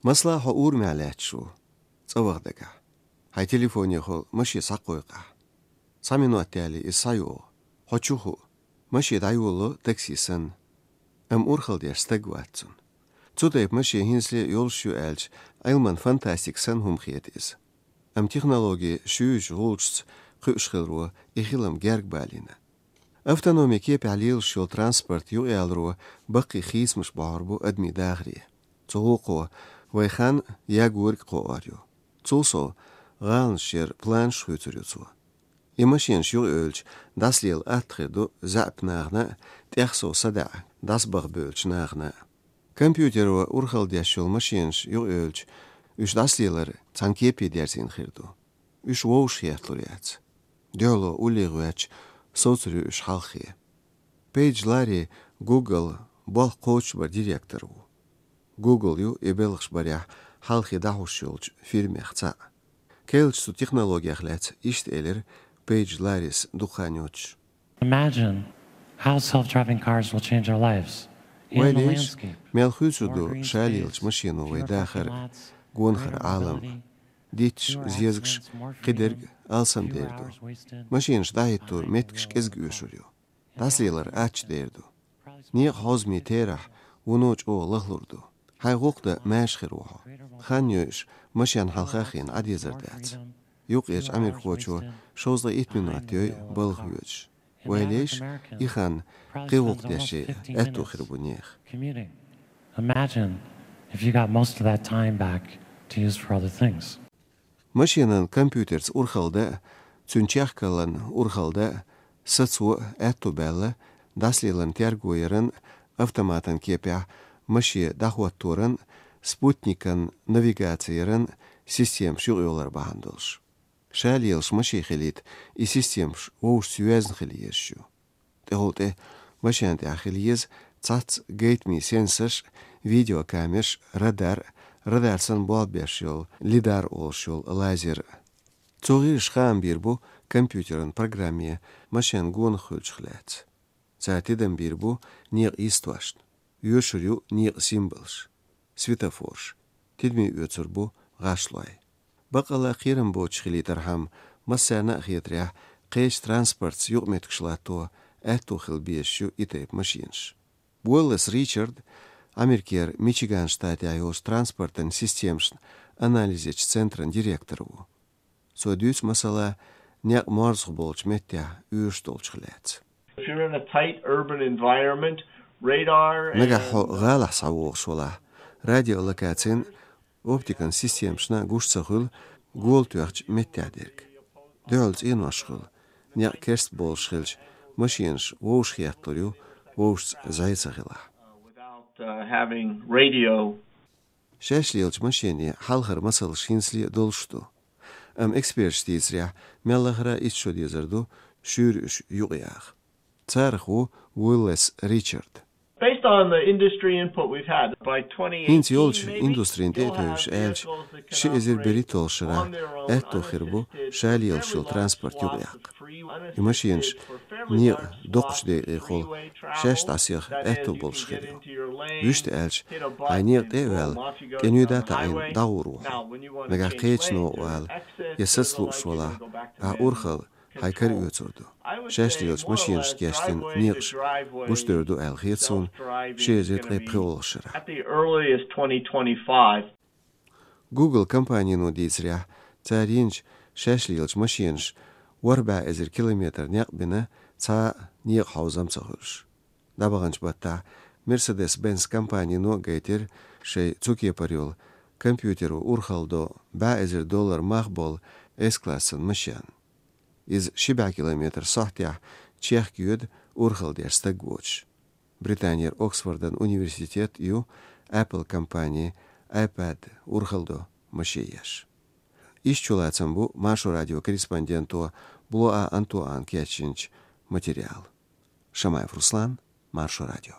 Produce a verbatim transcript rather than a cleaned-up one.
Масала, хьо урамехь лаьтташ ву, цӀа ваха дагахь. Хьайн телефонехула машен схьакхойкху ахь. Цхьа минот даьлча иза схьайогӀу. Хьо чу хуу. Машен дӀайолало такси санна. Амма урхалла деш стаг вац цунна. Цу тайпа машен хӀинцале йолуш ю аьлча, Ӏилман фантастика санна хӀума хета иза. Амма технологи шуьйрачу гӀулчашца кхуьуш хиларо и хилам герга балийна. Автономи кепехь лелаш йолу транспорт юкъаяларо баккхий хийцамаш бохьур бу адамийн дахаре. Цу гӀуллакхо вай хан ягориг кхоор ю. Цул сов, гӀаланаш яран планаш хуьйцур ю цо. И машенаш юкъаевлча, дӀасалела атта хир ду заьӀап нахана а, тӀех сов садаӀа дӀасабаха бевллачу нахана а. Компьютеро урхалла деш йолу машенаш юкъаевлча, уьш дӀасалелар цхьана кепе дерзийна хир ду. Уьш вовшах хетталур яц. Дуьхьало уллехь гӀоьттича, совцур ю уьш хьалххе. Пейдж Ларри Google болх кхочушбаран директор ву. Google ю и белхаш барехь хьалхе дӀахьош йолчу фирмех цхьаъ. Керлачу цу технологех лаьцна иштта элира Пейдж Ларрис дукха хан йоццуш. Imagine how self-driving cars will change our lives. Вай леш, мел хуьйцур ду ша лелачу машено вай дахар, гонахара Ӏалам. Дитташ, зезагаш, кхидерг алсам дер ду. Машенаш дӀахӀиттор меттигаш кӀезиг оьшур ю. ДӀасалелар аттачу дер ду. Некъан хьозамийн терахь вуно чӀогӀа лахлур ду. Хьайн гӀуллакх дан маьрша хир ву хьо. Хан йойуш, машен хьалха а хиъна Ӏан дезар дац. Юккъерчу америкахочо шовзткъе итт минот йой балха воьдуш. Вай леш, и хан кхин гӀуллакх деш ян аьтто хир бу нехан. Commuting. Imagine if you got most of that time back to use for other things. Машенан компьютерца урхалла дан а, цуьнан чехкаллан урхалла дан а сацо а аьтто баьлла дӀасалелан терго яран, автоматан кепехь машен дӀахӀотторан, спутникан навигаци яран системаш юкъайолар бахьана долуш. Ша лелаш машен хилийта, и системаш вовшашца йоьзна хила езаш ю. ТӀехула тӀе машен тӀехь хила еза цхьацца гайтамийн сенсорш, видеокамераш, радар, радар санна болх беш йолу лидар олуш йолу лазер. Цо гӀирсаша хаам бийр бу компьютеран программе машен гонах хуьлучух лаьцна. Цара тидам бийр бу некъан йистошна. Йоьшур ю некъан символаш, светофораш, тидаме оьцур бу гӀашлой. Баккъалла кхерам боцуш хилийтархьама, массарна а хетарехь, кхечу транспортца юкъаметтигаш латто аьтто хила безаш ю и тайпа машенаш. Уоллес Ричард Америкера Мичиган штатехь йолчу транспортан системашна анализ ечу центран директор ву. Цо дуьйцу, масала, некъ морзах болчу меттехь оьшуш долчух лаьцна. If you're in a tight urban environment, radar Нагахь хьо гӀалахь схьавогӀуш валахь, радиолокацин, оптикан системашна гуш ца хуьлу гола тоьхначу меттехь дерг. Дуьхьал цӀенош хуьлу, некъ керста болуш хилча, машенаш вовшах хетталур ю, вовшашца зӀе ца хилахь. Without uh, having radio. Шаьш лелачу машенийн хьалхара масалш хӀинцале а долуш ду. Амма эксперташа дийцарехь, мел лахара итт шо дезар ду шуьйра уьш юкъаяха. Царах ву Уиллес Ричард. Based on the industry input we've had, by twenty eighteen, ХӀинца йолчу индустрин тӀе а тевжаш аьлча, ши эзар берхӀитталгӀачу шарахь аьтто хир бу ша лелаш йолу транспорт юкъаяккха. И машенаш некъа доккхачу декъехула шаьш дӀасаеха аьтто болуш хир ю. Вуьшта аьлча, хьайн некъа тӀе а ваьлла, кӀенойда а таӀийна дӀагӀур ву хьо. Нагахь кхечанна вала я саца лууш валахь, ахь урхалла хьайн кара оьцур ду. Шаьш лелачу машенашна кечдина некъаш гучудевр ду аьлла хета суна ши эзар ткъе пхоьалгӀачу шарахь. At the earliest twenty twenty-five. Google компанино дийцарехь, цара йинчу шаьш лелачу машенаша ворхӀ бӀе эзар километр некъ бина, цхьа а некъан хьовзам ца хуьлуш. ДӀабаханчу баттахь Mercedes-Benz компанино а гайтира шайн цу кепара йолу, компьютеро урхалла до, бӀе эзар доллар мах болу С-классан машен. Иза ши бӀе километр сохьтехь чехка йоьду урхалла деш стаг воцуш. Британера Оксфордан университет ю Apple компани iPad урхалла до машен еш. Иштта чулацам бу Маршо радион корреспонденто Блоа Антуана кечйинчу материалан. Шамаев Руслан, Маршо радио.